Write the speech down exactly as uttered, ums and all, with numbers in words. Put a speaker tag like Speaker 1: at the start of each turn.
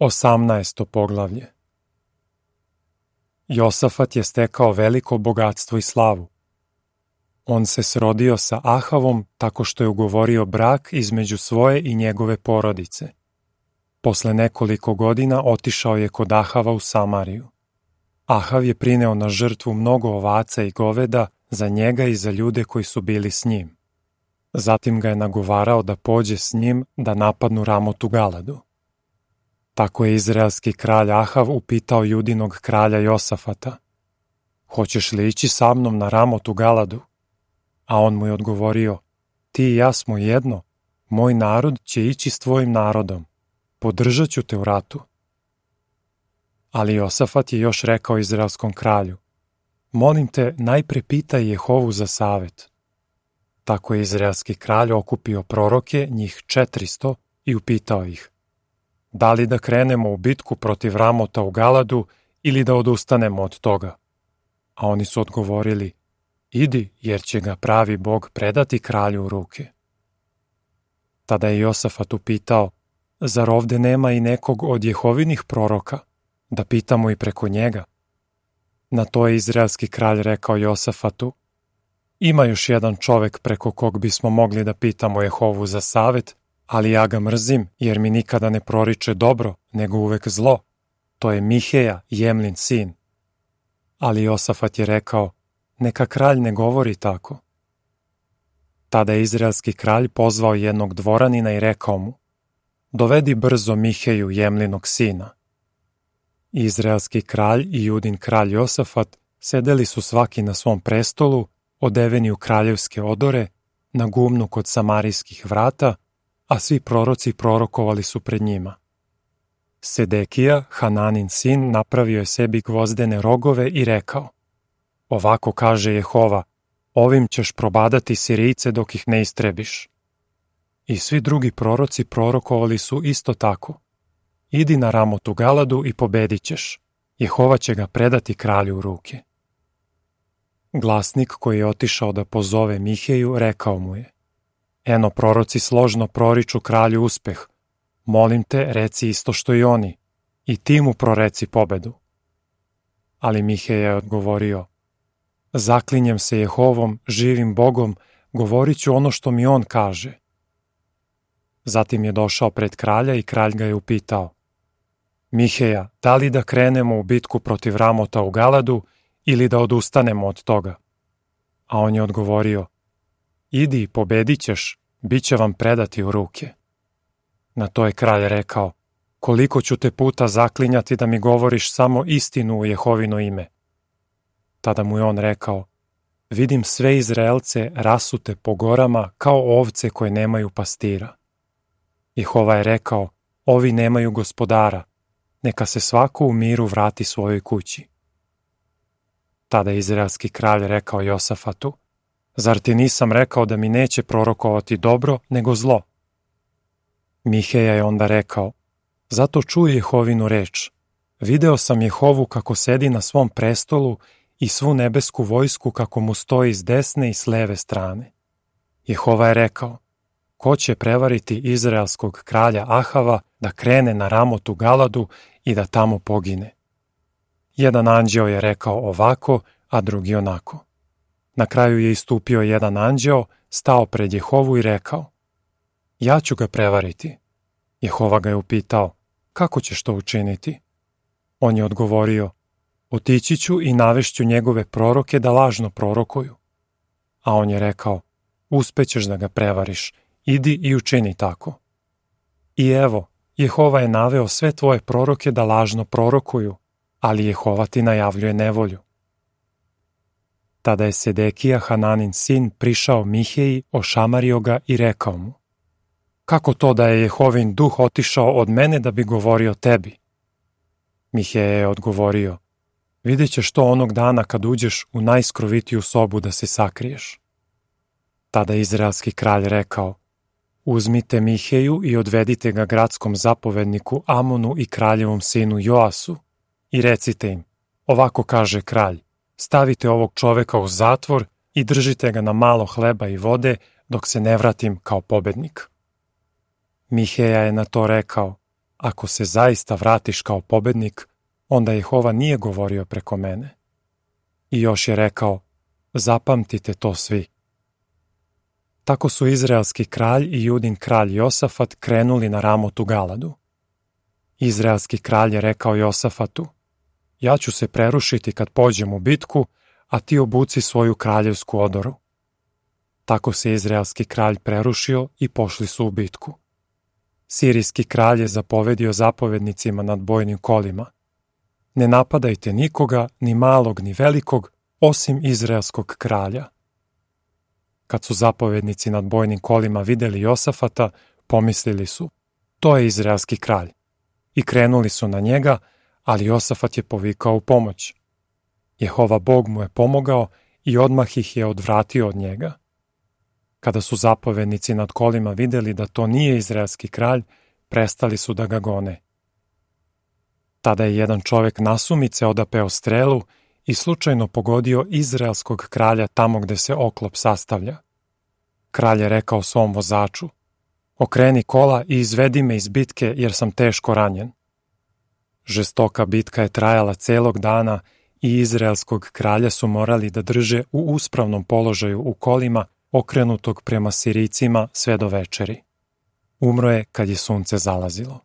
Speaker 1: Osamnaesto poglavlje. Josafat je stekao veliko bogatstvo i slavu. On se srodio sa Ahavom tako što je ugovorio brak između svoje i njegove porodice. Posle nekoliko godina otišao je kod Ahava u Samariju. Ahav je prineo na žrtvu mnogo ovaca i goveda za njega i za ljude koji su bili s njim. Zatim ga je nagovarao da pođe s njim da napadnu Ramotu Galadu. Tako je izraelski kralj Ahav upitao judinog kralja Josafata: "Hoćeš li ići sa mnom na Ramotu Galadu?" A on mu je odgovorio: "Ti i ja smo jedno, moj narod će ići s tvojim narodom, podržat ću te u ratu." Ali Josafat je još rekao izraelskom kralju: "Molim te, najpre pitaj Jehovu za savet." Tako je izraelski kralj okupio proroke, njih četristo, i upitao ih: "Da li da krenemo u bitku protiv Ramota u Galadu ili da odustanemo od toga?" A oni su odgovorili: "Idi, jer će ga pravi Bog predati kralju u ruke." Tada je Josafat upitao: "Zar ovde nema i nekog od Jehovinih proroka, da pitamo i preko njega?" Na to je izraelski kralj rekao Josafatu: "Ima još jedan čovek preko kog bismo mogli da pitamo Jehovu za savet, ali ja ga mrzim, jer mi nikada ne proriče dobro, nego uvek zlo. To je Miheja, Jemlin sin." Ali Josafat je rekao: "Neka kralj ne govori tako." Tada je izraelski kralj pozvao jednog dvoranina i rekao mu: "Dovedi brzo Miheju, Jemlinog sina." Izraelski kralj i judin kralj Josafat sedeli su svaki na svom prestolu, odeveni u kraljevske odore, na gumnu kod samarijskih vrata, a svi proroci prorokovali su pred njima. Sedekija, Hananin sin, napravio je sebi gvozdene rogove i rekao: "Ovako kaže Jehova, ovim ćeš probadati Sirijce dok ih ne istrebiš." I svi drugi proroci prorokovali su isto tako: "Idi na Ramotu Galadu i pobedit ćeš. Jehova će ga predati kralju u ruke." Glasnik koji je otišao da pozove Miheju rekao mu je: "Eno, proroci složno proriču kralju uspeh. Molim te, reci isto što i oni, i ti mu proreci pobedu." Ali Miheja je odgovorio: "Zaklinjem se Jehovom, živim Bogom, govorit ću ono što mi on kaže." Zatim je došao pred kralja i kralj ga je upitao: "Miheja, da li da krenemo u bitku protiv Ramota u Galadu ili da odustanemo od toga?" A on je odgovorio: "Idi, pobedit ćeš, bit će vam predati u ruke." Na to je kralj rekao: "Koliko ću te puta zaklinjati da mi govoriš samo istinu u Jehovino ime?" Tada mu je on rekao: "Vidim sve Izraelce rasute po gorama kao ovce koje nemaju pastira." Jehova je rekao: "Ovi nemaju gospodara, neka se svako u miru vrati svojoj kući." Tada je izraelski kralj rekao Josafatu: "Zar ti nisam rekao da mi neće prorokovati dobro, nego zlo?" Miheja je onda rekao: "Zato čuj Jehovinu reč. Video sam Jehovu kako sedi na svom prestolu i svu nebesku vojsku kako mu stoji s desne i s leve strane. Jehova je rekao: ko će prevariti izraelskog kralja Ahava da krene na Ramotu Galadu i da tamo pogine?" Jedan anđeo je rekao ovako, a drugi onako. Na kraju je istupio jedan anđeo, stao pred Jehovu i rekao: "Ja ću ga prevariti." Jehova ga je upitao: "Kako ćeš to učiniti?" On je odgovorio: "Otići ću i navešću njegove proroke da lažno prorokuju." A on je rekao: "Uspećeš da ga prevariš, idi i učini tako." I evo, Jehova je naveo sve tvoje proroke da lažno prorokuju, ali Jehova ti najavljuje nevolju. Tada je Sedekija, Hananin sin, prišao Miheji, ošamario ga i rekao mu: "Kako to da je Jehovin duh otišao od mene da bi govorio tebi?" Miheja je odgovorio: "Vidjet ćeš to onog dana kad uđeš u najskrovitiju sobu da se sakriješ." Tada je izraelski kralj rekao: "Uzmite Miheju i odvedite ga gradskom zapovedniku Amonu i kraljevom sinu Joasu i recite im: ovako kaže kralj, stavite ovog čoveka u zatvor i držite ga na malo hleba i vode dok se ne vratim kao pobednik." Miheja je na to rekao: ako se zaista vratiš kao pobednik, onda Jehova nije govorio preko mene. I još je rekao, zapamtite to svi. Tako su izraelski kralj i Judin kralj Josafat krenuli na Ramotu Galadu. Izraelski kralj je rekao Josafatu, ja ću se prerušiti kad pođem u bitku, a ti obuci svoju kraljevsku odoru. Tako se izraelski kralj prerušio i pošli su u bitku. Sirijski kralj je zapovedio zapovednicima nad bojnim kolima. Ne napadajte nikoga, ni malog, ni velikog, osim izraelskog kralja. Kad su zapovednici nad bojnim kolima videli Josafata, pomislili su, to je izraelski kralj. I krenuli su na njega, ali Josafat je povikao u pomoć. Jehova Bog mu je pomogao i odmah ih je odvratio od njega. Kada su zapovednici nad kolima videli da to nije izraelski kralj, prestali su da ga gone. Tada je jedan čovek nasumice odapeo strelu i slučajno pogodio izraelskog kralja tamo gde se oklop sastavlja. Kralj je rekao svom vozaču, okreni kola i izvedi me iz bitke jer sam teško ranjen. Žestoka bitka je trajala celog dana i izraelskog kralja su morali da drže u uspravnom položaju u kolima okrenutog prema Sirijcima sve do večeri. Umro je kad je sunce zalazilo.